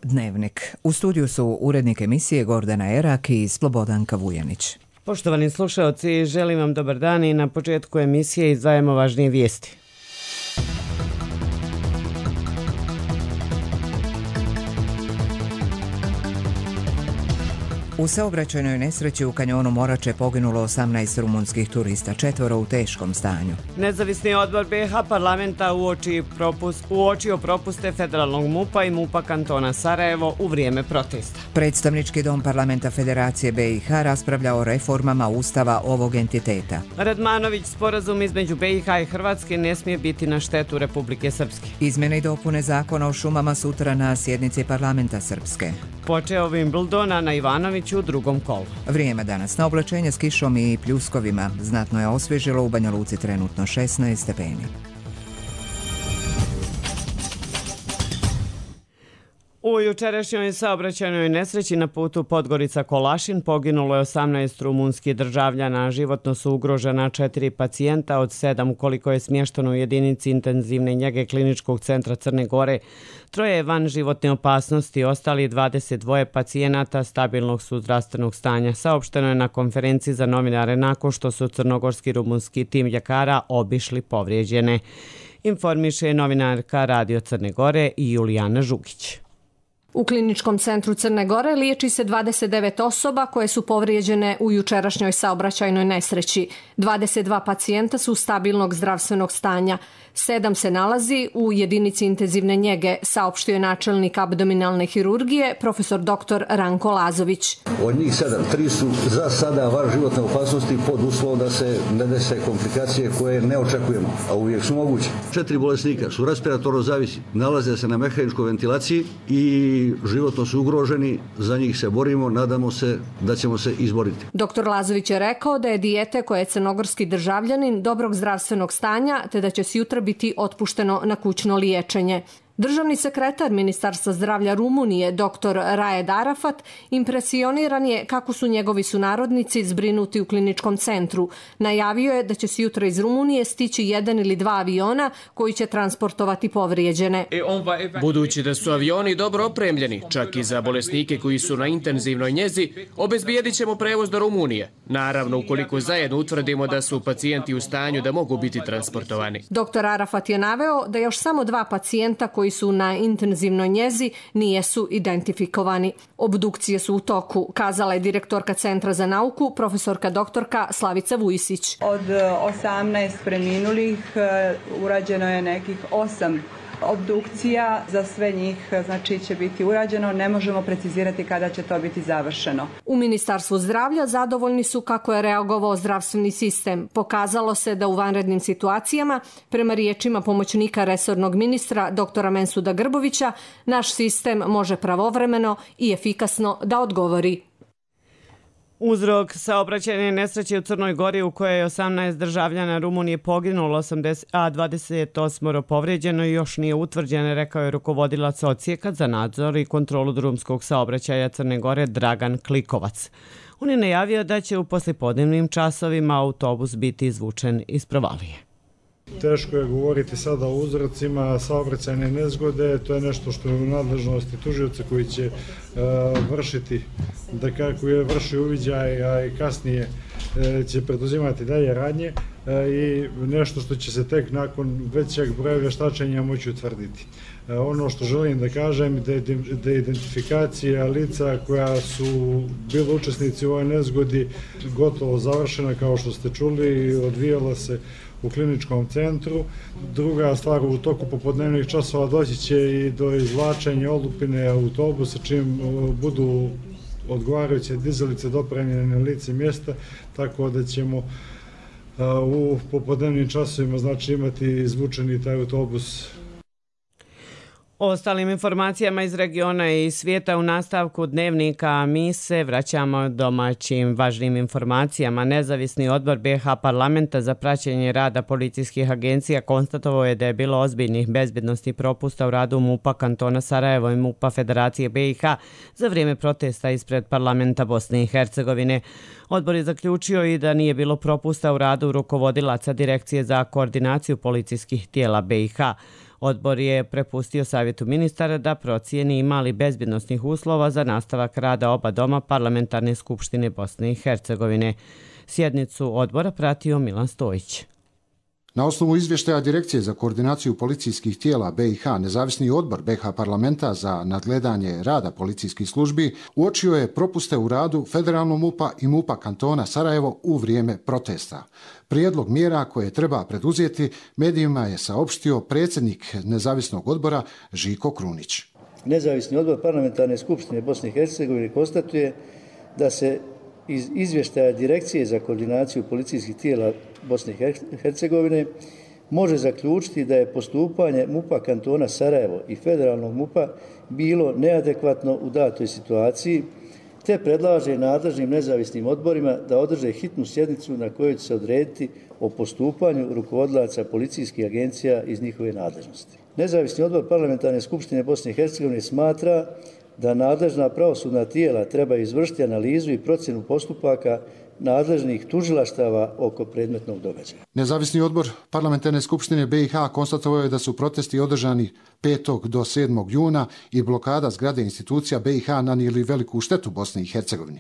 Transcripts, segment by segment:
Dnevnik. U studiju su urednik emisije Gordana Erak i Slobodanka Vujanić. Poštovani slušaoci, želim vam dobar dan i na početku emisije izdvajamo važnije vijesti. U saobraćajnoj nesreći u kanjonu Morače poginulo 18 rumunskih turista, 4 u teškom stanju. Nezavisni odbor BiH parlamenta uočio propuste federalnog MUP-a i MUP-a kantona Sarajevo u vrijeme protesta. Predstavnički dom parlamenta Federacije BiH raspravlja o reformama ustava ovog entiteta. Radmanović, sporazum između BiH i Hrvatske ne smije biti na štetu Republike Srpske. Izmjene i dopune zakona o šumama sutra na sjednici parlamenta Srpske. Počeo Wimbledona na Ivanoviću u drugom kolu. Vrijeme danas na oblačenje s kišom i pljuskovima. Znatno je osvježilo, u Banja Luci trenutno 16 stepeni. U jučerašnjoj saobraćajnoj nesreći na putu Podgorica-Kolašin poginulo je 18 rumunskih državljana. Životno su ugrožena 4 pacijenta od 7 koliko je smješteno u jedinici intenzivne njege Kliničkog centra Crne Gore. 3 je van životne opasnosti, ostali 22 pacijenata stabilnog su zdravstvenog stanja. Saopšteno je na konferenciji za novinare nakon što su crnogorski rumunski tim ljekara obišli povrijeđene. Informiše novinarka Radio Crne Gore i Julijana Žugić. U Kliničkom centru Crne Gore liječi se 29 osoba koje su povrijeđene u jučerašnjoj saobraćajnoj nesreći. 22 pacijenta su stabilnog zdravstvenog stanja. 7 se nalazi u jedinici intenzivne njege, saopštio je načelnik abdominalne hirurgije, profesor dr. Ranko Lazović. Od njih 7, 3 su za sada van životne opasnosti pod uslovom da se ne dese komplikacije koje ne očekujemo, a uvijek su moguće. 4 bolesnika su respiratorno zavisni, nalaze se na mehaničkoj ventilaciji i životno su ugroženi, za njih se borimo, nadamo se da ćemo se izboriti. Dr. Lazović je rekao da je dijete koje je crnogorski državljanin dobrog zdravstvenog stanja, te da će sutra biti otpušteno na kućno liječenje. Državni sekretar Ministarstva zdravlja Rumunije, dr. Raed Arafat, impresioniran je kako su njegovi sunarodnici zbrinuti u kliničkom centru. Najavio je da će se jutro iz Rumunije stići 1 ili 2 aviona koji će transportovati povrijeđene. Budući da su avioni dobro opremljeni, čak i za bolesnike koji su na intenzivnoj njezi, obezbijedit ćemo prevoz do Rumunije. Naravno, ukoliko zajedno utvrdimo da su pacijenti u stanju da mogu biti transportovani. Dr. Arafat je naveo da još samo 2 pacijenta koji su na intenzivnoj njezi nijesu identifikovani. Obdukcije su u toku, kazala je direktorka Centra za nauku, profesorka doktorka Slavica Vujisić. Od 18 preminulih urađeno je nekih 8 obdukcija, za sve njih znači će biti urađeno, ne možemo precizirati kada će to biti završeno. U Ministarstvu zdravlja zadovoljni su kako je reagovao zdravstveni sistem. Pokazalo se da u vanrednim situacijama, prema riječima pomoćnika resornog ministra dr. Mensuda Grbovića, naš sistem može pravovremeno i efikasno da odgovori. Uzrok saobraćajne nesreće u Crnoj Gori u kojoj je 18 državljana Rumunije poginulo, a 28 povrijeđeno i još nije utvrđeno, rekao je rukovodilac odsjeka za nadzor i kontrolu drumskog saobraćaja Crne Gore Dragan Klikovac. On je najavio da će u poslijepodnevnim časovima autobus biti izvučen iz provalije. Teško je govoriti sada o uzrocima saobraćajne nezgode, to je nešto što je u nadležnosti tužioca koji će vršiti, da kako je vršio uviđaj, a i kasnije će preduzimati dalje radnje i nešto što će se tek nakon većeg broja vještačenja moći utvrditi. Ono što želim da kažem da je identifikacija lica koja su bili učesnici u ovoj nezgodi gotovo završena, kao što ste čuli, odvijala se u kliničkom centru. Druga stvar, u toku popodnevnih časova doći će i do izvlačenja olupine autobusa, čim budu odgovarajuće dizalice dopremljene na lice mjesta, tako da ćemo u popodnevnim časovima znači imati izvučeni taj autobus. O ostalim informacijama iz regiona i svijeta u nastavku dnevnika mi se vraćamo domaćim važnim informacijama. Nezavisni odbor BiH parlamenta za praćenje rada policijskih agencija konstatovao je da je bilo ozbiljnih bezbjednosti propusta u radu MUP-a kantona Sarajevo i MUP-a Federacije BiH za vrijeme protesta ispred parlamenta Bosne i Hercegovine. Odbor je zaključio i da nije bilo propusta u radu rukovodilaca Direkcije za koordinaciju policijskih tijela BiH. Odbor je prepustio Savjetu ministara da procijeni ima li bezbjednosnih uslova za nastavak rada oba doma Parlamentarne skupštine Bosne i Hercegovine. Sjednicu odbora pratio Milan Stojić. Na osnovu izvještaja Direkcije za koordinaciju policijskih tijela BiH, nezavisni odbor BiH parlamenta za nadgledanje rada policijskih službi uočio je propuste u radu federalnog MUP-a i MUP-a kantona Sarajevo u vrijeme protesta. Prijedlog mjera koje treba preduzeti medijima je saopštio predsjednik nezavisnog odbora Žiko Krunić. Nezavisni odbor Parlamentarne skupštine Bosne i Hercegovine konstatuje da se iz izvještaja Direkcije za koordinaciju policijskih tijela Bosne i Hercegovine može zaključiti da je postupanje MUP-a kantona Sarajevo i federalnog MUP-a bilo neadekvatno u datoj situaciji, te predlaže nadležnim nezavisnim odborima da održe hitnu sjednicu na kojoj će se odrediti o postupanju rukovodilaca policijskih agencija iz njihove nadležnosti. Nezavisni odbor Parlamentarne skupštine Bosne i Hercegovine smatra da nadležna pravosudna tijela treba izvršiti analizu i procjenu postupaka nadležnih tužilaštava oko predmetnog događaja. Nezavisni odbor Parlamentarne skupštine BiH konstatovao je da su protesti održani 5. do 7. juna i blokada zgrade institucija BiH nanijeli veliku štetu Bosni i Hercegovini.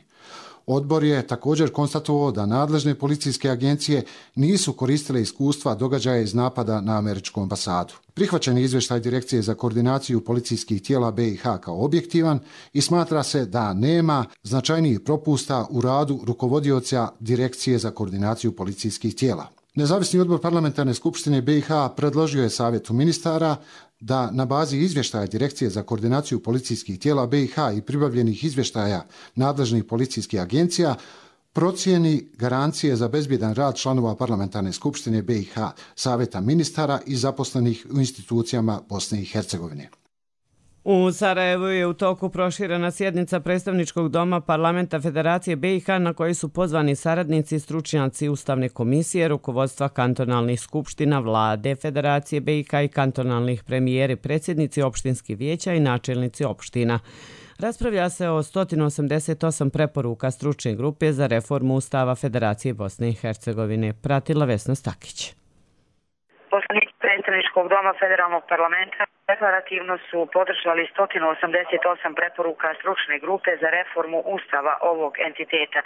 Odbor je također konstatovao da nadležne policijske agencije nisu koristile iskustva događaja iz napada na američku ambasadu. Prihvaćen je izvještaj Direkcije za koordinaciju policijskih tijela BiH kao objektivan i smatra se da nema značajnijih propusta u radu rukovodioca Direkcije za koordinaciju policijskih tijela. Nezavisni odbor Parlamentarne skupštine BiH predložio je Savjetu ministara da na bazi izvještaja Direkcije za koordinaciju policijskih tijela BiH i pribavljenih izvještaja nadležnih policijskih agencija procijeni garancije za bezbjedan rad članova Parlamentarne skupštine BiH, Savjeta ministara i zaposlenih u institucijama Bosne i Hercegovine. U Sarajevu je u toku proširena sjednica predstavničkog doma Parlamenta Federacije BiH na koji su pozvani saradnici i stručnjaci Ustavne komisije, rukovodstva kantonalnih skupština, vlade Federacije BiH i kantonalnih premijeri, predsjednici opštinskih vijeća i načelnici opština. Raspravlja se o 188 preporuka stručne grupe za reformu Ustava Federacije Bosne i Hercegovine. Pratila Vesna Stakić. Poslanici predstavničkog doma federalnog parlamenta deklarativno su podržali 188 preporuka stručne grupe za reformu Ustava ovog entiteta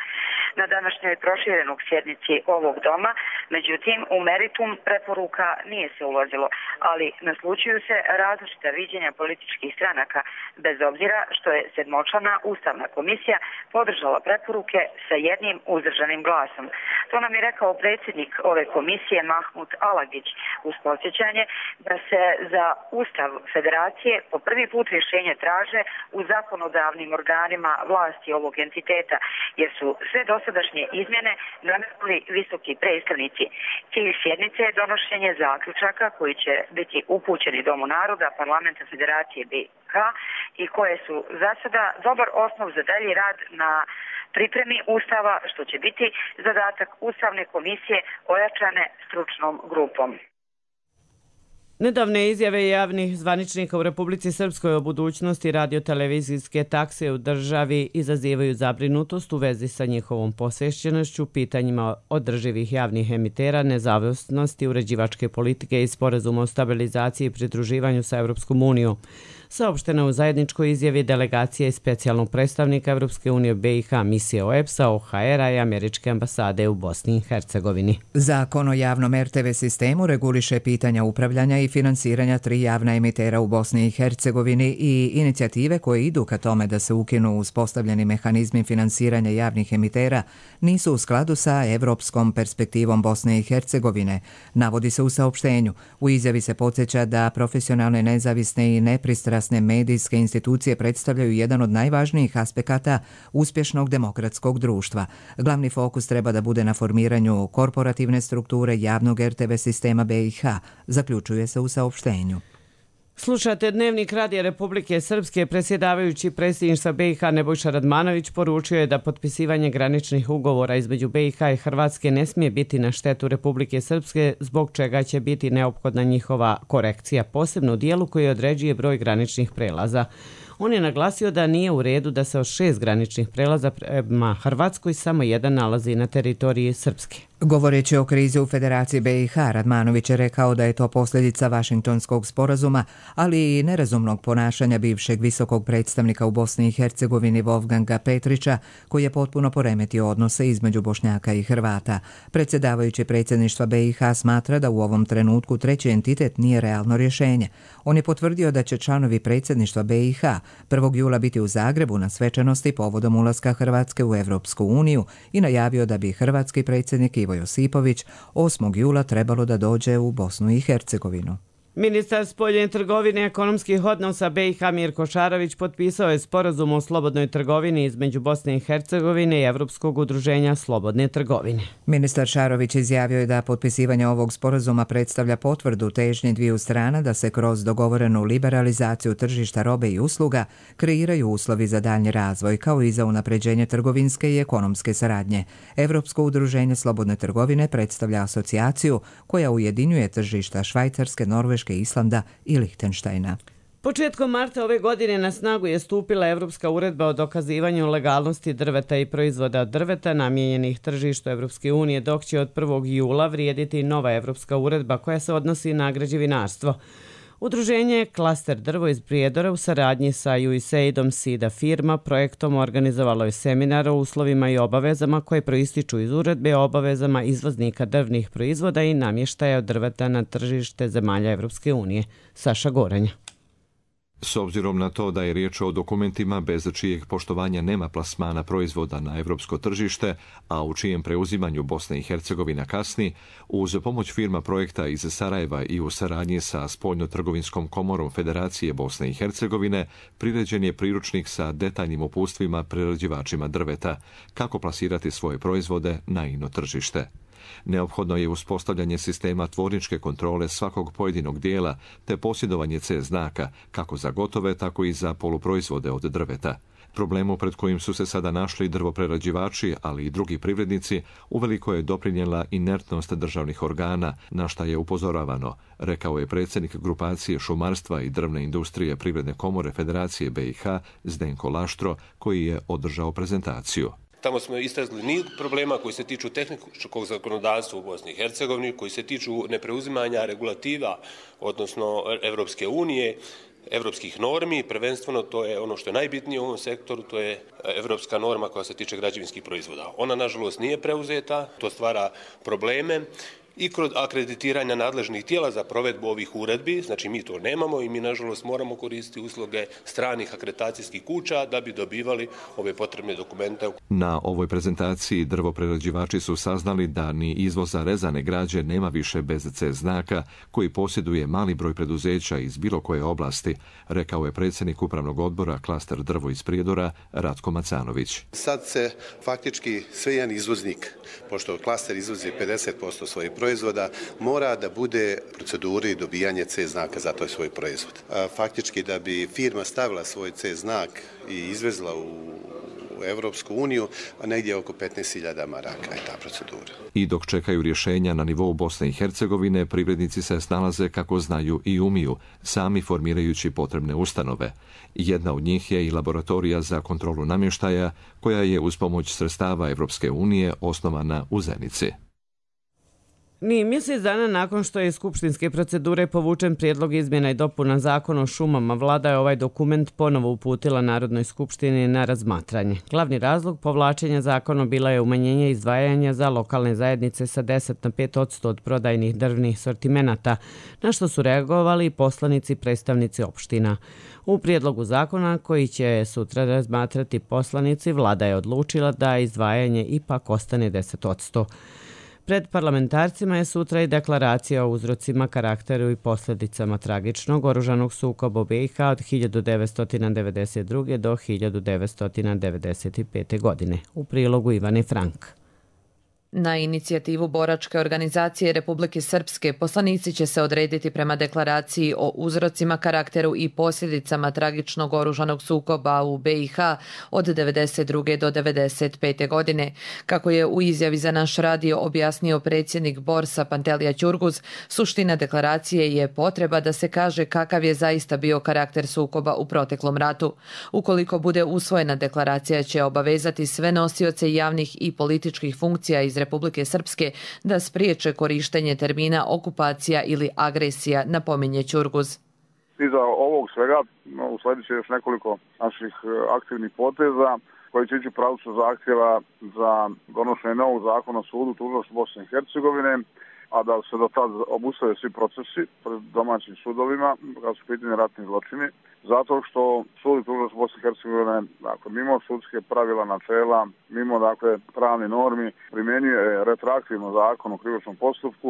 na današnjoj proširenog sjednici ovog doma. Međutim, u meritum preporuka nije se ulazilo, ali naslučuju se različita viđenja političkih stranaka, bez obzira što je sedmočlana Ustavna komisija podržala preporuke sa jednim uzdržanim glasom. To nam je rekao predsjednik ove komisije Mahmut Alagić uz podsjećanje da se za Ustav Federacije po prvi put rješenje traže u zakonodavnim organima vlasti ovog entiteta, jer su sve dosadašnje izmjene nametnuli visoki predstavnici. Cilj sjednice je donošenje zaključaka koji će biti upućeni Domu naroda Parlamenta Federacije BiH i koje su za sada dobar osnov za dalji rad na pripremi Ustava, što će biti zadatak Ustavne komisije ojačane stručnom grupom. Nedavne izjave javnih zvaničnika u Republici Srpskoj o budućnosti radiotelevizijske takse u državi izazivaju zabrinutost u vezi sa njihovom posvećenošću, pitanjima održivih javnih emitera, nezavisnosti uređivačke politike i sporazuma o stabilizaciji i pridruživanju sa Evropskom unijom. Saopšteno u zajedničkoj izjavi delegacije i specijalnog predstavnika Evropske unije BiH misije OEBS-a, OHR-a i Američke ambasade u Bosni i Hercegovini. Zakon o javnom RTV sistemu reguliše pitanja upravljanja i finansiranja 3 javna emitera u Bosni i Hercegovini i inicijative koje idu ka tome da se ukinu uspostavljeni mehanizmi finansiranja javnih emitera nisu u skladu sa evropskom perspektivom Bosne i Hercegovine, navodi se u saopštenju. U izjavi se podsjeća da profesionalne, nezavisne i nepristrasne medijske institucije predstavljaju jedan od najvažnijih aspekata uspješnog demokratskog društva. Glavni fokus treba da bude na formiranju korporativne strukture javnog RTV sistema BiH, zaključuje se u saopštenju. Slušate Dnevnik Radija Republike Srpske. Predsjedavajući predsjedništva BiH Nebojša Radmanović poručio je da potpisivanje graničnih ugovora između BiH i Hrvatske ne smije biti na štetu Republike Srpske, zbog čega će biti neophodna njihova korekcija, posebno u dijelu koji određuje broj graničnih prelaza. On je naglasio da nije u redu da se od 6 graničnih prelaza prema Hrvatskoj samo jedan nalazi na teritoriji Srpske. Govoreći o krizi u Federaciji BiH, Radmanović je rekao da je to posljedica Vašingtonskog sporazuma, ali i nerazumnog ponašanja bivšeg visokog predstavnika u Bosni i Hercegovini Wolfganga Petrića, koji je potpuno poremetio odnose između Bošnjaka i Hrvata. Predsjedavajući predsjedništva BiH smatra da u ovom trenutku treći entitet nije realno rješenje. On je potvrdio da će članovi predsjedništva BiH 1. jula biti u Zagrebu na svečanosti povodom ulaska Hrvatske u Evropsku uniju i najavio da bi hrvatski predsjednik Ivo Josipović 8. jula trebalo da dođe u Bosnu i Hercegovinu. Ministar spoljne trgovine i ekonomskih odnosa BiH Mirko Šarović potpisao je sporazum o slobodnoj trgovini između Bosne i Hercegovine i Evropskog udruženja slobodne trgovine. Ministar Šarović izjavio je da potpisivanje ovog sporazuma predstavlja potvrdu težnje dviju strana da se kroz dogovorenu liberalizaciju tržišta robe i usluga kreiraju uslovi za daljnji razvoj, kao i za unapređenje trgovinske i ekonomske saradnje. Evropsko udruženje slobodne trgovine predstavlja asocijaciju koja ujedinjuje tržišta Švajcarske, Norveške, Islanda i Lihtenštajna. Početkom marta ove godine na snagu je stupila Evropska uredba o dokazivanju legalnosti drveta i proizvoda od drveta namijenjenih tržištu Evropske unije, dok će od 1. jula vrijediti nova Evropska uredba koja se odnosi na građevinarstvo. Udruženje Klaster drvo iz Prijedora u saradnji sa USAID-om SIDA firma projektom organizovalo je seminar o uslovima i obavezama koje proističu iz uredbe o obavezama izvoznika drvnih proizvoda i namještaja od drveta na tržište zemalja Evropske unije. Saša Goranja. S obzirom na to da je riječ o dokumentima bez čijeg poštovanja nema plasmana proizvoda na evropsko tržište, a u čijem preuzimanju Bosna i Hercegovina kasni, uz pomoć firma projekta iz Sarajeva i u saradnji sa Spoljno-trgovinskom komorom Federacije Bosne i Hercegovine, priređen je priručnik sa detaljnim uputstvima prerađivačima drveta, kako plasirati svoje proizvode na ino tržište. Neophodno je uspostavljanje sistema tvorničke kontrole svakog pojedinog dijela te posjedovanje C znaka, kako za gotove, tako i za poluproizvode od drveta. Problemu pred kojim su se sada našli drvoprerađivači, ali i drugi privrednici, uveliko je doprinijela inertnost državnih organa, na šta je upozoravano, rekao je predsjednik grupacije šumarstva i drvne industrije Privredne komore Federacije BiH Zdenko Laštro, koji je održao prezentaciju. Tamo smo istražili niz problema koji se tiču tehničkog zakonodavstva u Bosni i Hercegovini, koji se tiču nepreuzimanja regulativa, odnosno Evropske unije, evropskih normi. Prvenstveno to je ono što je najbitnije u ovom sektoru, to je evropska norma koja se tiče građevinskih proizvoda. Ona, nažalost, nije preuzeta, to stvara probleme. I kroz akreditiranja nadležnih tijela za provedbu ovih uredbi, znači mi to nemamo i mi nažalost moramo koristiti usluge stranih akreditacijskih kuća da bi dobivali ove potrebne dokumente. Na ovoj prezentaciji drvoprerađivači su saznali da ni izvoza rezane građe nema više bez C znaka, koji posjeduje mali broj preduzeća iz bilo koje oblasti, rekao je predsjednik upravnog odbora Klaster drvo iz Prijedora Ratko Macanović. Sad se faktički sve jedan izvoznik, pošto Klaster izvozi 50% svojih proizvoda, mora da bude u proceduri dobijanje C znaka za taj svoj proizvod. Faktički da bi firma stavila svoj C znak i izvezla u Evropsku uniju, a negdje oko 15.000 maraka je ta procedura. I dok čekaju rješenja na nivou Bosne i Hercegovine, privrednici se snalaze kako znaju i umiju, sami formirajući potrebne ustanove. Jedna od njih je i laboratorija za kontrolu namještaja, koja je uz pomoć sredstava Evropske unije osnovana u Zenici. Ni mjesec dana nakon što je iz skupštinske procedure povučen prijedlog izmjena i dopuna zakona o šumama, vlada je ovaj dokument ponovo uputila Narodnoj skupštini na razmatranje. Glavni razlog povlačenja zakona bila je umanjenje izdvajanja za lokalne zajednice sa 10 na 5% od prodajnih drvnih sortimenata, na što su reagovali poslanici i predstavnici opština. U prijedlogu zakona koji će sutra razmatrati poslanici, vlada je odlučila da izdvajanje ipak ostane 10%. Pred parlamentarcima je sutra i deklaracija o uzrocima, karakteru i posljedicama tragičnog oružanog sukoba u BiH od 1992. do 1995. godine. U prilogu Ivane Frank. Na inicijativu boračke organizacije Republike Srpske poslanici će se odrediti prema deklaraciji o uzrocima, karakteru i posljedicama tragičnog oružanog sukoba u BiH od 1992. do 1995. godine. Kako je u izjavi za naš radio objasnio predsjednik Borsa Pantelija Ćurguz, suština deklaracije je potreba da se kaže kakav je zaista bio karakter sukoba u proteklom ratu. Ukoliko bude usvojena, deklaracija će obavezati sve nosioce javnih i političkih funkcija iz Republike Srpske da spriječe korištenje termina okupacija ili agresija, napominje Ćurguz. Iza ovog svega usledit će još nekoliko naših aktivnih poteza koji će ići u pravcu zahtjeva za donošenje novog zakona o sudu tužilaštva Bosne i Hercegovine, a da se do tad obustave svi procesi pred domaćim sudovima kad su pitanje ratni zločini, zato što sud tužilaštva Bosne i Hercegovine, dakle, mimo sudske pravila, načela, mimo pravni normi, primjenjuje retroaktivno zakon o krivičnom postupku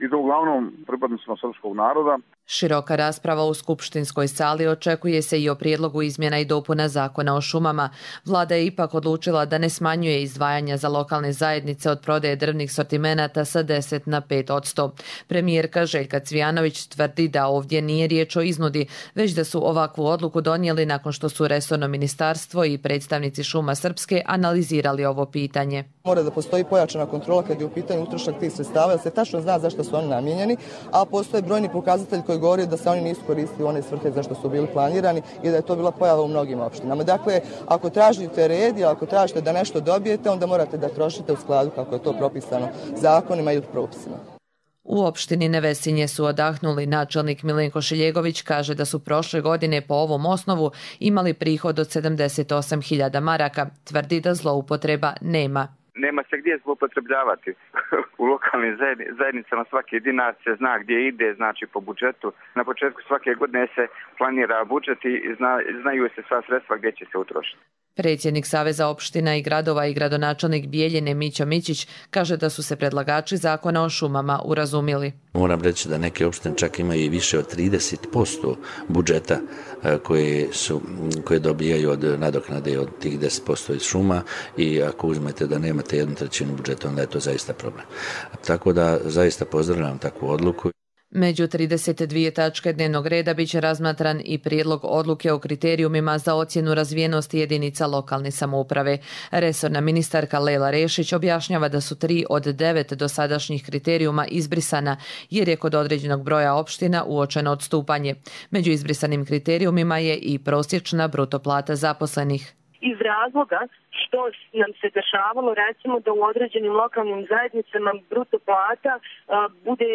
i to uglavnom pripadnicima srpskog naroda. Široka rasprava u skupštinskoj sali očekuje se i o prijedlogu izmjena i dopuna zakona o šumama. Vlada je ipak odlučila da ne smanjuje izdvajanja za lokalne zajednice od prodaje drvnih sortimenata sa 10 na 5%. Premijerka Željka Cvijanović tvrdi da ovdje nije riječ o iznudi, već da su ovakvu odluku donijeli nakon što su resorno ministarstvo i predstavnici Šuma Srpske analizirali ovo pitanje. Mora da postoji pojačana kontrola kad je u pitanju utrošak tih sredstava, jer se tačno zna zašto su oni namijenjeni, a postoje brojni pokazatelji koji govori da se oni nisu koristili u one svrhe za što su bili planirani i da je to bila pojava u mnogim opštinama. Dakle, ako tražite red i ako tražite da nešto dobijete, onda morate da trošite u skladu kako je to propisano zakonima i propisima. U opštini Nevesinje su odahnuli. Načelnik Milenko Šiljegović kaže da su prošle godine po ovom osnovu imali prihod od 78.000 maraka. Tvrdi da zloupotreba nema. Nema se gdje zloupotrebljavati. U lokalnim zajednicama svaki dinar se zna gdje ide, znači po budžetu. Na početku svake godine se planira budžet i znaju se sva sredstva gdje će se utrošiti. Predsjednik Saveza opština i gradova i gradonačelnik Bijeljine Mićo Mićić kaže da su se predlagači zakona o šumama urazumili. Moram reći da neke opštine čak imaju i više od 30% budžeta koje dobijaju od nadoknade od tih 10% iz šuma i ako uzmete da nemate 1/3 budžeta, onda je to zaista problem. Tako da zaista pozdravljam takvu odluku. Među 32 tačke dnevnog reda biće razmatran i prijedlog odluke o kriterijumima za ocjenu razvijenosti jedinica lokalne samouprave. Resorna ministarka Lela Rešić objašnjava da su 3 od 9 dosadašnjih kriterijuma izbrisana jer je kod određenog broja opština uočeno odstupanje. Među izbrisanim kriterijumima je i prosječna bruto plata zaposlenih. Iz razloga što nam se dešavalo recimo da u određenim lokalnim zajednicama bruto plata bude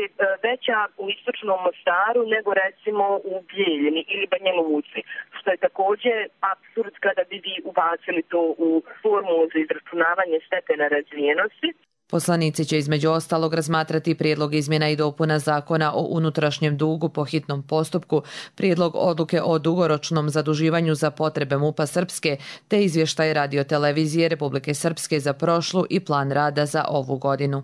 veća u istočnom Mostaru nego recimo u Bijeljini ili Banja Luci, što je također apsurd kada bi vi ubacili to u formulu za izračunavanje stepena razvijenosti. Poslanici će između ostalog razmatrati prijedlog izmjena i dopuna zakona o unutrašnjem dugu po hitnom postupku, prijedlog odluke o dugoročnom zaduživanju za potrebe MUP-a Srpske, te izvještaj radiotelevizije Republike Srpske za prošlu i plan rada za ovu godinu.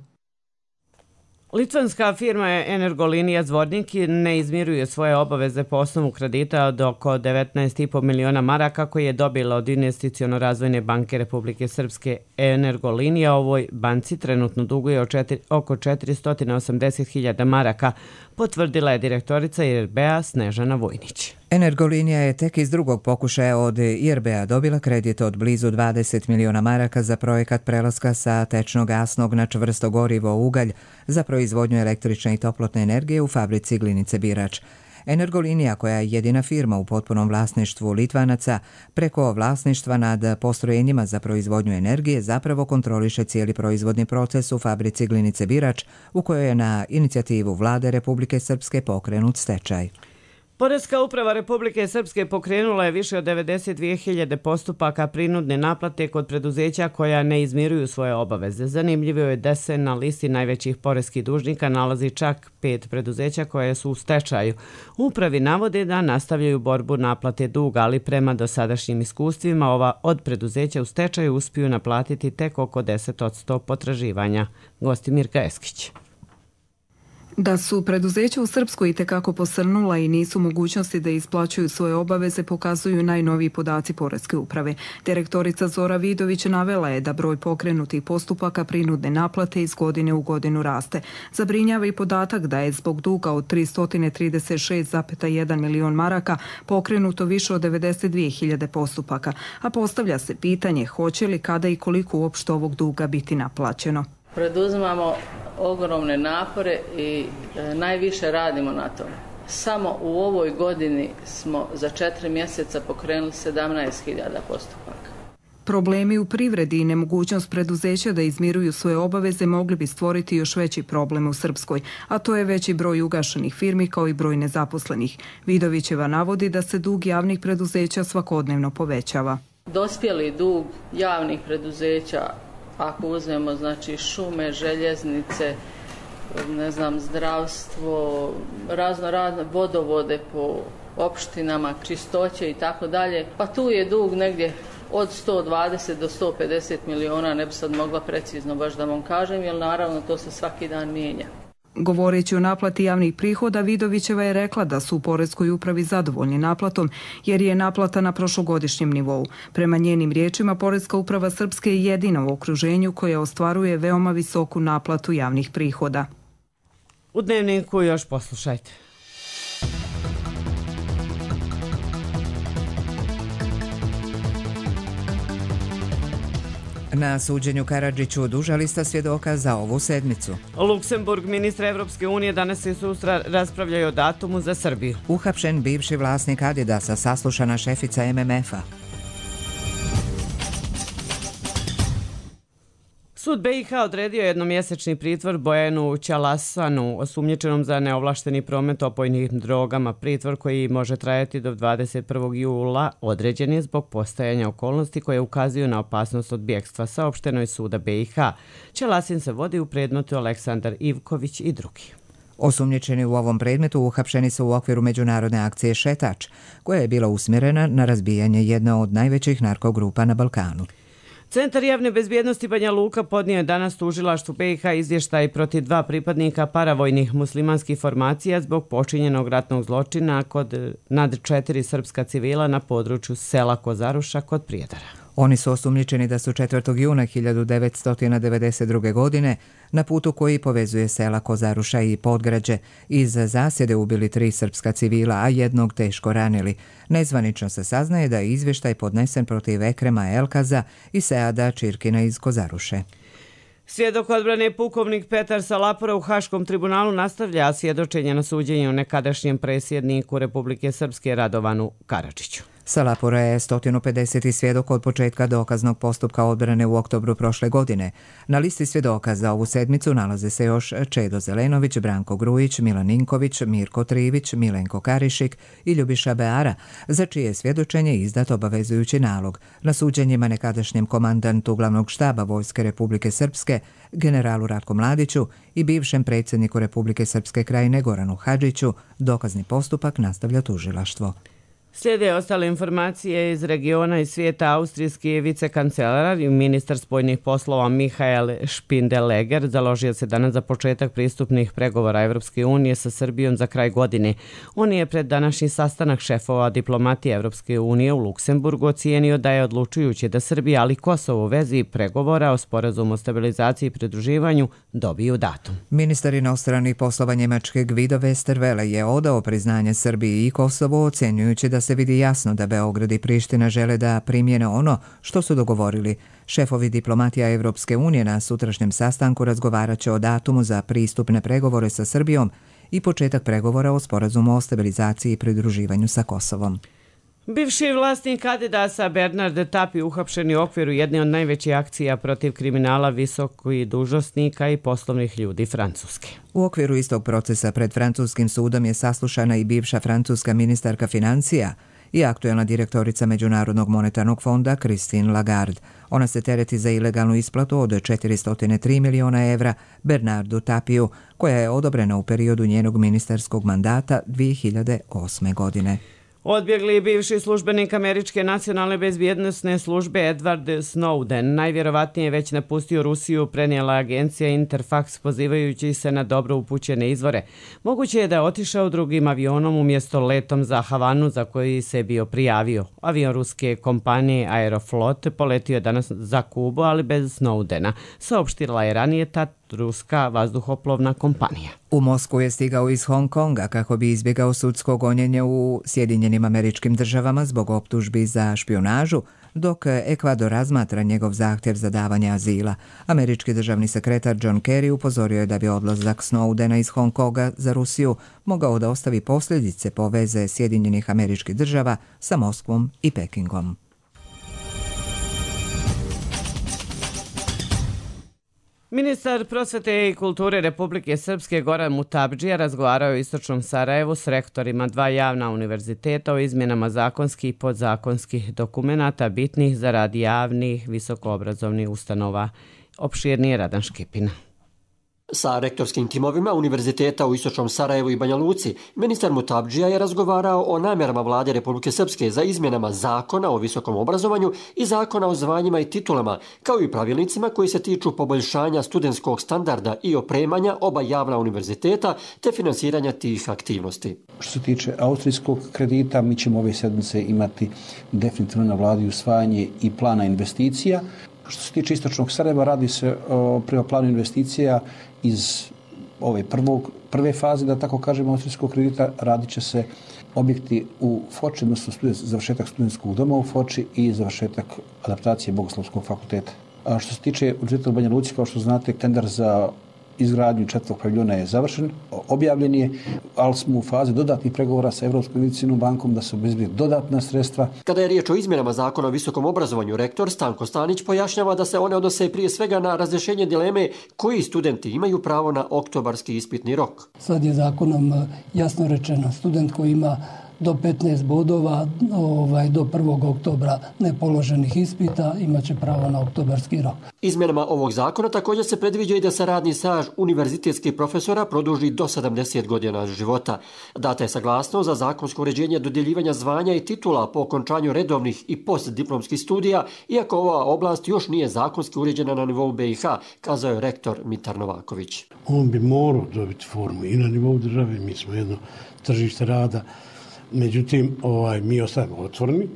Litvanska firma Energolinija Zvornik ne izmiruje svoje obaveze po osnovu kredita od oko 19,5 miliona maraka koji je dobila od Investiciono-razvojne banke Republike Srpske. Energolinija ovoj banci trenutno duguje oko 480.000 maraka, potvrdila je direktorica IRB-a Snežana Vojnić. Energolinija je tek iz drugog pokušaja od IRB-a dobila kredit od blizu 20 miliona maraka za projekat prelaska sa tečno gasnog na čvrsto gorivo ugalj za proizvodnju električne i toplotne energije u fabrici Glinice Birač. Energolinija, koja je jedina firma u potpunom vlasništvu Litvanaca, preko vlasništva nad postrojenjima za proizvodnju energije zapravo kontroliše cijeli proizvodni proces u fabrici Glinice Birač, u kojoj je na inicijativu Vlade Republike Srpske pokrenut stečaj. Poreska uprava Republike Srpske pokrenula je više od 92.000 postupaka prinudne naplate kod preduzeća koja ne izmiruju svoje obaveze. Zanimljivo je da se na listi najvećih poreskih dužnika nalazi čak 5 preduzeća koje su u stečaju. Upravi navode da nastavljaju borbu naplate duga, ali prema dosadašnjim iskustvima ova od preduzeća u stečaju uspiju naplatiti tek oko 10% potraživanja. Gosti Mirka Eskić. Da su preduzeća u Srpskoj itekako posrnula i nisu mogućnosti da isplaćuju svoje obaveze pokazuju najnoviji podaci Poreske uprave. Direktorica Zora Vidović navela je da broj pokrenutih postupaka prinudne naplate iz godine u godinu raste. Zabrinjava i podatak da je zbog duga od 336,1 milion maraka pokrenuto više od 92.000 postupaka, a postavlja se pitanje hoće li, kada i koliko uopšte ovog duga biti naplaćeno. Preduzimamo ogromne napore i najviše radimo na tome. Samo u ovoj godini smo za 4 mjeseca pokrenuli 17.000 postupaka. Problemi u privredi i nemogućnost preduzeća da izmiruju svoje obaveze mogli bi stvoriti još veći problem u Srpskoj, a to je veći broj ugašenih firmi kao i broj nezaposlenih. Vidovićeva navodi da se dug javnih preduzeća svakodnevno povećava. Dospjeli dug javnih preduzeća, ako uzmemo znači šume, željeznice, zdravstvo, razne vodovode po opštinama, čistoće i tako dalje, pa tu je dug negdje od 120 do 150 miliona, ne bi sad mogla precizno baš da vam kažem, jer naravno to se svaki dan mijenja. Govoreći o naplati javnih prihoda, Vidovićeva je rekla da su u Poreskoj upravi zadovoljni naplatom, jer je naplata na prošlogodišnjem nivou. Prema njenim riječima, Poreska uprava Srpske je jedina u okruženju koja ostvaruje veoma visoku naplatu javnih prihoda. U Dnevniku još poslušajte. Na suđenju Karadžiću duža lista svjedoka za ovu sedmicu. Luksemburg, ministra Evropske unije, danas i sutra raspravljaju o datumu za Srbiju. Uhapšen bivši vlasnik Adidasa, saslušana šefica MMF-a. Sud BiH odredio jednomjesečni pritvor Bojanu Ćalasanu, osumnjičenom za neovlašteni promet opojnim drogama. Pritvor koji može trajati do 21. jula određen je zbog postojanja okolnosti koje ukazuju na opasnost od bjegstva, saopšteno je suda BiH. Ćalasin se vodi u predmetu Aleksandar Ivković i drugi. Osumnjičeni u ovom predmetu uhapšeni su u okviru međunarodne akcije Šetač, koja je bila usmjerena na razbijanje jedne od najvećih narkogrupa na Balkanu. Centar javne bezbjednosti Banja Luka podnio je danas tužilaštvu BiH izvještaj protiv 2 pripadnika paravojnih muslimanskih formacija zbog počinjenog ratnog zločina nad 4 srpska civila na području sela Kozaruša kod Prijedara. Oni su osumnjičeni da su 4. juna 1992. godine na putu koji povezuje sela Kozaruša i Podgrađe iz zasjede ubili 3 srpska civila, a jednog teško ranili. Nezvanično se saznaje da je izvještaj podnesen protiv Ekrema Elkaza i Seada Čirkina iz Kozaruše. Svjedok odbrane pukovnik Petar Salapora u Haškom tribunalu nastavlja svjedočenje na suđenju nekadašnjem predsjedniku Republike Srpske Radovanu Karadžiću. Salapora je 150. svjedok od početka dokaznog postupka odbrane u oktobru prošle godine. Na listi svjedoka za ovu sedmicu nalaze se još Čedo Zelenović, Branko Grujić, Milan Ninković, Mirko Trivić, Milenko Karišik i Ljubiša Beara, za čije svjedočenje izdat obavezujući nalog. Na suđenjima nekadašnjem komandantu glavnog štaba Vojske Republike Srpske, generalu Ratku Mladiću i bivšem predsjedniku Republike Srpske Krajine Goranu Hadžiću, dokazni postupak nastavlja tužilaštvo. Slijede ostale informacije iz regiona i svijeta. Austrijski vicekancelar i ministar spoljnih poslova Mihael Spindeleger založio se danas za početak pristupnih pregovora Evropske unije sa Srbijom za kraj godine. On je pred današnji sastanak šefova diplomatije Evropske unije u Luksemburgu ocijenio da je odlučujuće da Srbija, ali Kosovo u vezi pregovora o sporazumu o stabilizaciji i pridruživanju dobiju datum. Ministar inostranih poslova Njemačke Guido Westerwelle je odao priznanje Srbiji i Kosovo, ocjenjujući da se vidi jasno da Beograd i Priština žele da primjene ono što su dogovorili. Šefovi diplomatija Evropske unije na sutrašnjem sastanku razgovarat će o datumu za pristupne pregovore sa Srbijom i početak pregovora o sporazumu o stabilizaciji i pridruživanju sa Kosovom. Bivši vlasnik Adidasa Bernard Tapie uhapšen u okviru jedne od najvećih akcija protiv kriminala visokih dužnosnika i poslovnih ljudi Francuske. U okviru istog procesa pred francuskim sudom je saslušana i bivša francuska ministarka financija i aktuelna direktorica Međunarodnog monetarnog fonda Christine Lagarde. Ona se tereti za ilegalnu isplatu od 403 miliona evra Bernardu Tapieu, koja je odobrena u periodu njenog ministarskog mandata 2008. godine. Odbjegli bivši službenik Američke nacionalne bezbjednosne službe Edward Snowden najvjerovatnije već napustio Rusiju, prenijela agencija Interfax pozivajući se na dobro upućene izvore. Moguće je da je otišao drugim avionom umjesto letom za Havanu za koji se bio prijavio. Avion ruske kompanije Aeroflot poletio je danas za Kubu, ali bez Snowdena, saopštila je ranije ta ruska vazduhoplovna kompanija. U Moskvu je stigao iz Hong Konga kako bi izbjegao sudsko gonjenje u Sjedinjenim Američkim Državama zbog optužbi za špijunažu, dok Ekvador razmatra njegov zahtjev za davanje azila. Američki državni sekretar John Kerry upozorio je da bi odlazak Snowdena iz Hong Konga za Rusiju mogao da ostavi posljedice po veze Sjedinjenih Američkih Država sa Moskvom i Pekingom. Ministar prosvete i kulture Republike Srpske Goran Mutabdžija razgovarao je u Istočnom Sarajevu s rektorima 2 javna univerziteta o izmjenama zakonskih i podzakonskih dokumenata bitnih za rad javnih visokoobrazovnih ustanova. Opširnije Radan Škipina. Sa rektorskim timovima univerziteta u Istočnom Sarajevu i Banja Luci, ministar Mutabdžija je razgovarao o namjerama vlade Republike Srpske za izmjenama zakona o visokom obrazovanju i zakona o zvanjima i titulama, kao i pravilnicima koji se tiču poboljšanja studentskog standarda i opremanja oba javna univerziteta te finansiranja tih aktivnosti. Što se tiče austrijskog kredita, mi ćemo ove sedmice imati definitivno na vladi usvajanje i plana investicija. Što se tiče Istočnog Sarajeva, radi se prema planu investicija iz ove prve faze, da tako kažemo, austrijskog kredita. Radit će se objekti u Foči, odnosno završetak studentskog doma u Foči i završetak adaptacije Bogoslovskog fakulteta. A što se tiče univerziteta u Banja Luci, kao što znate, tender za izgradnju 4. paviljona je završen, objavljen je, ali smo u fazi dodatnih pregovora sa Evropskom investicijskom bankom da se obezbedi dodatna sredstva. Kada je riječ o izmjenama zakona o visokom obrazovanju, rektor Stanko Stanić pojašnjava da se one odnose prije svega na razrješenje dileme koji studenti imaju pravo na oktobarski ispitni rok. Sad je zakonom jasno rečeno, student koji ima do 15 bodova do 1. oktobra nepoloženih ispita imaće pravo na oktobarski rok. Izmjenama ovog zakona također se predviđa i da se radni staž univerzitetskih profesora produži do 70 godina života. Data je saglasnost za zakonsko uređenje dodjeljivanja zvanja i titula po okončanju redovnih i postdiplomskih studija, iako ova oblast još nije zakonski uređena na nivou BiH, kazao je rektor Mitar Novaković. On bi morao dobiti formu i na nivou države, mi smo jedno tržište rada. Međutim, mi ostajemo otvoreni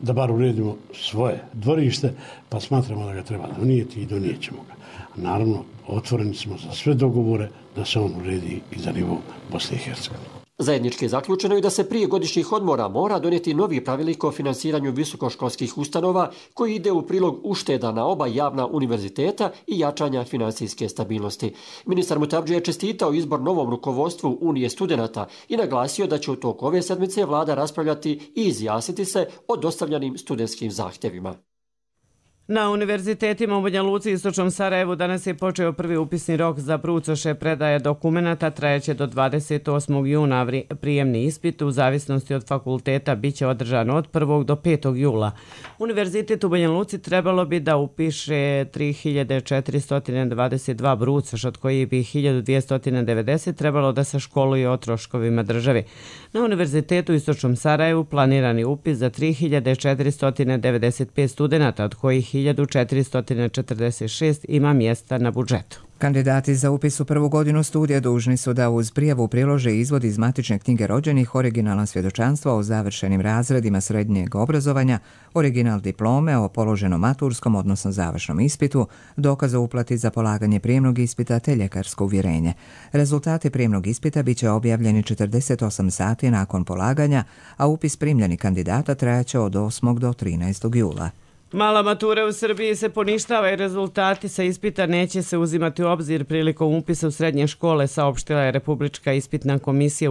da bar uredimo svoje dvorište, pa smatramo da ga treba donijeti i donijet ćemo ga. Naravno, otvoreni smo za sve dogovore da se on uredi i za nivou Bosne i Hercegovine. Zajednički je zaključeno i da se prije godišnjih odmora mora donijeti novi pravilnik o finansiranju visokoškolskih ustanova koji ide u prilog ušteda na oba javna univerziteta i jačanja financijske stabilnosti. Ministar Mutabdžija je čestitao izbor novom rukovodstvu Unije studenata i naglasio da će u toku ove sedmice vlada raspravljati i izjasniti se o dostavljanim studentskim zahtjevima. Na univerzitetima u Banja Luci i Istočnom Sarajevu danas je počeo prvi upisni rok za brucoše predaje dokumenata, trajeće do 28. juna. Prijemni ispit u zavisnosti od fakulteta biće održan od 1. do 5. jula. Univerzitet u Banja Luci trebalo bi da upiše 3422 brucoša, od kojih bi 1290 trebalo da se školuje o troškovima države. Na Univerzitetu u Istočnom Sarajevu planirani upis za 3495 studenata, od kojih 1446 ima mjesta na budžetu. Kandidati za upis u prvu godinu studija dužni su da uz prijavu prilože izvod iz matične knjige rođenih, originalna svjedočanstva o završenim razredima srednjeg obrazovanja, original diplome o položenom maturskom, odnosno završnom ispitu, dokaz o uplati za polaganje prijemnog ispita te ljekarsko uvjerenje. Rezultati prijemnog ispita biće objavljeni 48 sati nakon polaganja, a upis primljenih kandidata trajaće od 8. do 13. jula. Mala matura u Srbiji se poništava i rezultati sa ispita neće se uzimati u obzir prilikom upisa u srednje škole, saopštila je Republička ispitna komisija.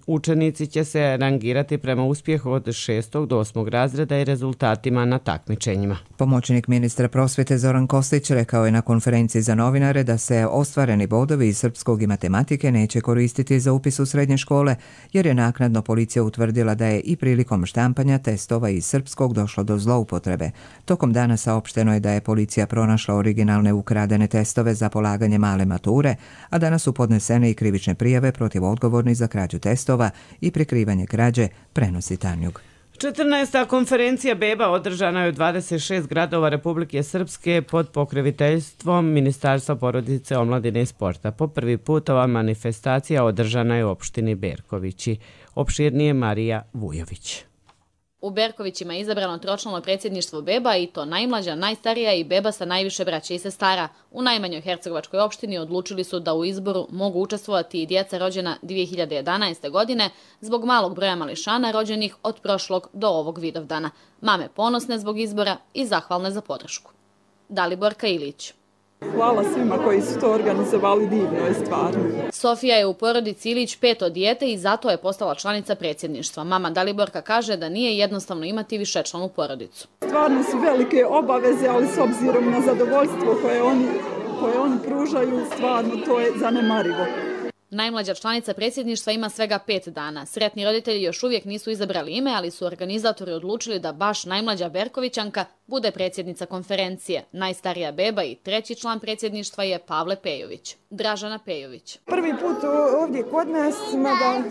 Učenici će se rangirati prema uspjehu od 6. do 8. razreda i rezultatima na takmičenjima. Pomoćnik ministra prosvjete Zoran Kostić rekao je na konferenciji za novinare da se ostvareni bodovi iz srpskog i matematike neće koristiti za upis u srednje škole, jer je naknadno policija utvrdila da je i prilikom štampanja testova iz srpskog došlo do zloupotrebe. Tokom dana saopšteno je da je policija pronašla originalne ukradene testove za polaganje male mature, a danas su podnesene i krivične prijave protiv odgovornih za krađu testova i prikrivanje krađe, prenosi Tanjug. 14. konferencija BEBA održana je u 26 gradova Republike Srpske pod pokroviteljstvom Ministarstva porodice, omladine i sporta. Po prvi put ova manifestacija održana je u opštini Berkovići. Opširnije Marija Vujović. U Berkovićima je izabrano tročlano predsjedništvo BEBA i to najmlađa, najstarija i BEBA sa najviše braće i sestara. U najmanjoj hercegovačkoj opštini odlučili su da u izboru mogu učestvovati i djeca rođena 2011. godine zbog malog broja mališana rođenih od prošlog do ovog Vidovdana. Mame ponosne zbog izbora i zahvalne za podršku. Daliborka Ilić. Hvala svima koji su to organizovali, divno je stvarno. Sofija je u porodici Ilić 5. dijete i zato je postala članica predsjedništva. Mama Daliborka kaže da nije jednostavno imati višečlanu porodicu. Stvarno su velike obaveze, ali s obzirom na zadovoljstvo koje oni koje oni pružaju, stvarno to je zanemarivo. Najmlađa članica predsjedništva ima svega 5 dana. Sretni roditelji još uvijek nisu izabrali ime, ali su organizatori odlučili da baš najmlađa Berkovićanka bude predsjednica konferencije. Najstarija beba i treći član predsjedništva je Pavle Pejović. Dražana Pejović. Prvi put ovdje kod nas, mada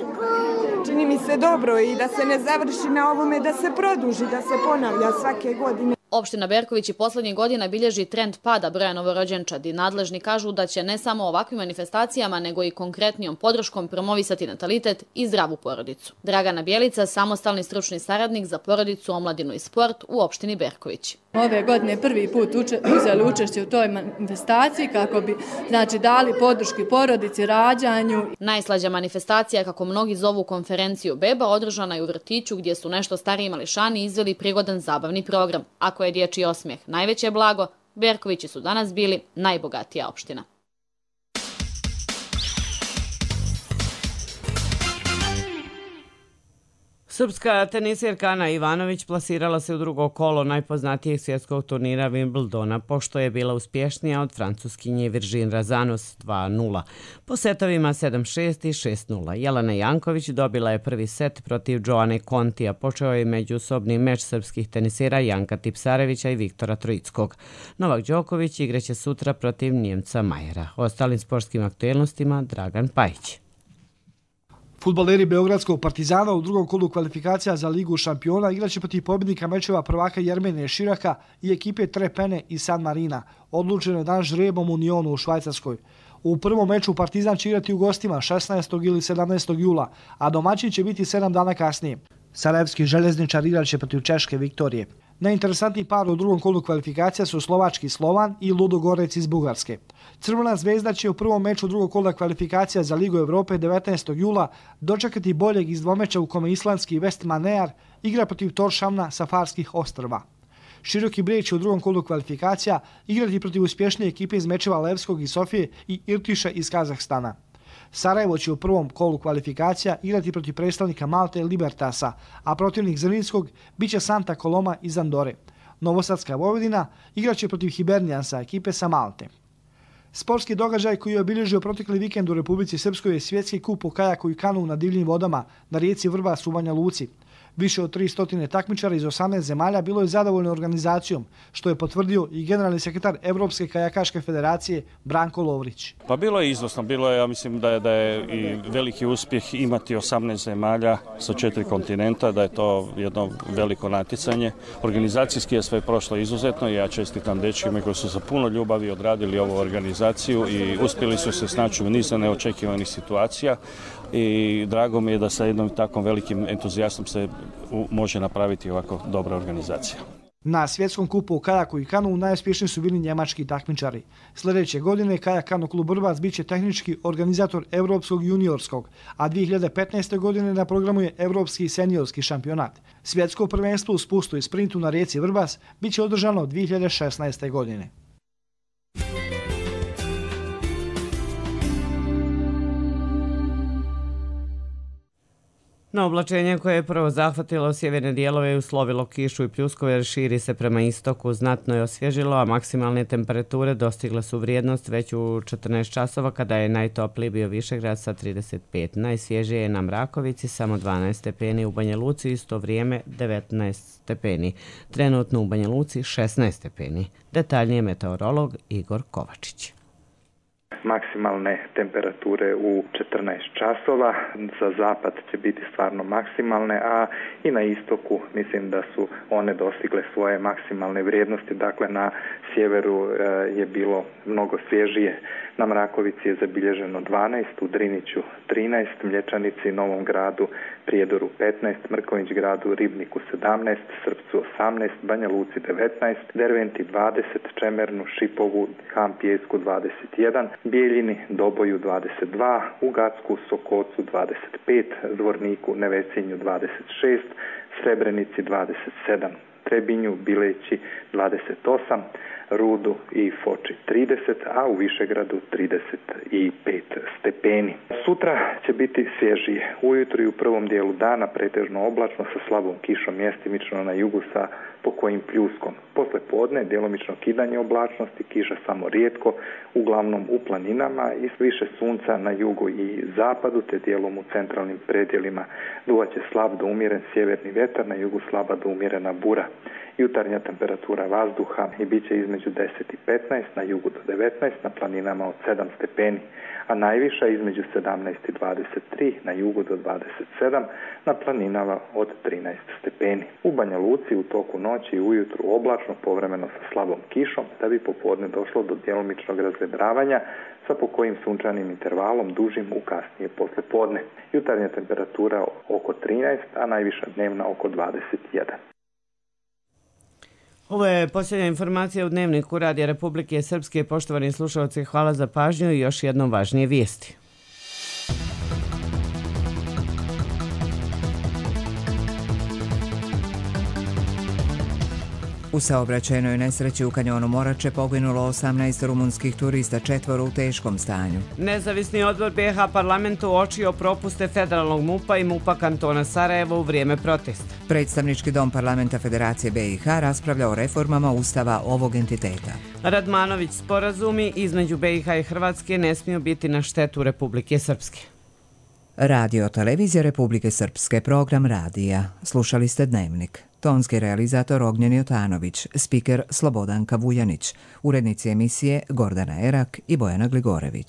čini mi se dobro i da se ne završi na ovome, da se produži, da se ponavlja svake godine. Opština Berković i posljednjih godina bilježi trend pada broja novorođenčadi. Nadležni kažu da će ne samo ovakvim manifestacijama, nego i konkretnijom podrškom promovisati natalitet i zdravu porodicu. Dragana Bjelica, samostalni stručni saradnik za porodicu, omladinu i sport u opštini Berković. Ove godine prvi put uzeli učešće u toj manifestaciji kako bi dali podrški porodici, rađanju. Najslađa manifestacija, kako mnogi zovu konferenciju beba, održana je u vrtiću gdje su nešto stariji mališani izveli prigodan zabavni program. Ako je dječji osmijeh najveće blago, Berkovići su danas bili najbogatija opština. Srpska tenisirka Ana Ivanović plasirala se u drugo kolo najpoznatijeg svjetskog turnira Wimbledona, pošto je bila uspješnija od francuskinje Virgin Razanos 2:0. Po setovima 7:6 i 6:0. Jelena Janković dobila je prvi set protiv Joane Kontija. Počeo je međusobni meč srpskih tenisira Janka Tipsarevića i Viktora Troickog. Novak Đoković igraće sutra protiv Njemca Majera. O ostalim sportskim aktuelnostima Dragan Pajić. Fudbaleri Beogradskog Partizana u drugom kolu kvalifikacija za Ligu šampiona igraće protiv pobjednika mečeva prvaka Jermenije Širaka i ekipe Trepene i San Marina. Odlučeno je danas žrebom u Unionu u Švajcarskoj. U prvom meču Partizan će igrati u gostima 16. ili 17. jula, a domaćin će biti 7 dana kasnije. Sarajevski željezničar igraće protiv Češke Viktorije. Najinteresantniji par u drugom kolu kvalifikacija su slovački Slovan i Ludogorec iz Bugarske. Crvena zvezda će u prvom meču drugog kola kvalifikacija za Ligu Evrope 19. jula dočekati boljeg iz dvomeča u kome islandski West Manear igra protiv Torshavna sa Farskih ostrva. Široki Brijeg će u drugom kolu kvalifikacija igrati protiv uspješnije ekipe iz mečeva Levskog iz Sofije i Irtiša iz Kazahstana. Sarajevo će u prvom kolu kvalifikacija igrati protiv predstavnika Malte Libertasa, a protivnik Zrinskog biće Santa Coloma iz Andore. Novosadska Vojvodina igraće protiv Hibernijansa, ekipe sa Malte. Sportski događaj koji je obilježio protekli vikend u Republici Srpskoj je svjetski kup u kajaku i kanu na divljim vodama na rijeci Vrbas u Banja Luci. Više od 300 takmičara iz 18 zemalja bilo je zadovoljno organizacijom, što je potvrdio i generalni sekretar Evropske kajakaške federacije Branko Lovrić. Pa bilo je izvrsno, bilo je, ja mislim da je i veliki uspjeh imati 18 zemalja sa 4 kontinenta, da je to jedno veliko natjecanje. Organizacijski je sve prošlo izuzetno i ja čestitam dečkima koji su sa puno ljubavi odradili ovu organizaciju i uspjeli su se snaći u nizu neočekivanih situacija. I drago mi je da sa jednom takvom velikim entuzijastom se može napraviti ovako dobra organizacija. Na svjetskom kupu u kajaku i kanu najuspješniji su bili njemački takmičari. Sljedeće godine Kajak Kano klub Vrbas bit će tehnički organizator Europskog juniorskog, a 2015. godine na programu je Europski seniorski šampionat. Svjetsko prvenstvo u spustu i sprintu na rijeci Vrbas bit će održano 2016. godine. Na oblačenje koje je prvo zahvatilo sjeverne dijelove i uslovilo kišu i pljuskove širi se prema istoku, znatno je osvježilo, a maksimalne temperature dostigle su vrijednost već u 14 časova kada je najtopliji bio Višegrad sa 35. Najsvježije je na Mrakovici, samo 12 stepeni, u Banja Luci isto vrijeme 19 stepeni. Trenutno u Banja Luci 16 stepeni. Detaljnije meteorolog Igor Kovačić. Maksimalne temperature u 14 časova, za zapad će biti stvarno maksimalne, a i na istoku mislim da su one dostigle svoje maksimalne vrijednosti, dakle na sjeveru je bilo mnogo svježije. Na Mrakovici je zabilježeno 12, u Driniću 13, Mlječanici, Novom Gradu, Prijedoru 15, Mrkonjić Gradu, Ribniku 17, Srpcu 18, Banja Luci 19, Derventi 20, Čemernu, Šipovu, Kampijesku 21, Bijeljini, Doboju 22, u Gacku, Sokocu 25, Zvorniku, Nevesinju 26, Srebrenici 27, Trebinju, Bileći 28, Rudu i Foči 30, a u Višegradu 35 stepeni. Sutra će biti svježije. Ujutro i u prvom dijelu dana pretežno oblačno sa slabom kišom mjestimično na jugu sa pokojim pljuskom. Posle podne djelomično kidanje oblačnosti, kiša samo rijetko, uglavnom u planinama i više sunca na jugu i zapadu te dijelom u centralnim predjelima. Duvaće slab do umjeren sjeverni vjetar, na jugu slaba do umjerena bura. Jutarnja temperatura vazduha i bit će između 10 i 15, na jugu do 19, na planinama od 7 stepeni, a najviša između 17 i 23, na jugu do 27, na planinama od 13 stepeni. U Banja Luci u toku noći i ujutru oblačno, povremeno sa slabom kišom, da bi popodne došlo do djelomičnog razvedravanja sa pokojim sunčanim intervalom dužim u kasnije poslijepodne. Jutarnja temperatura oko 13, a najviša dnevna oko 21. Ovo je posljednja informacija u Dnevniku Radija Republike Srpske. Poštovani slušalci, hvala za pažnju i još jednom važnije vijesti. U saobraćajnoj nesreći u kanjonu Morače poginulo 18 rumunskih turista, 4 u teškom stanju. Nezavisni odbor BiH parlamentu uočio propuste federalnog MUP-a i MUP-a kantona Sarajevo u vrijeme protesta. Predstavnički dom parlamenta Federacije BiH raspravlja o reformama ustava ovog entiteta. Radmanović, sporazumi između BiH i Hrvatske ne smiju biti na štetu Republike Srpske. Radio Televizija Republike Srpske, program radija. Slušali ste Dnevnik. Tonski realizator Ognjen Jotanović, spiker Slobodanka Vujanić, urednici emisije Gordana Erak i Bojana Gligorević.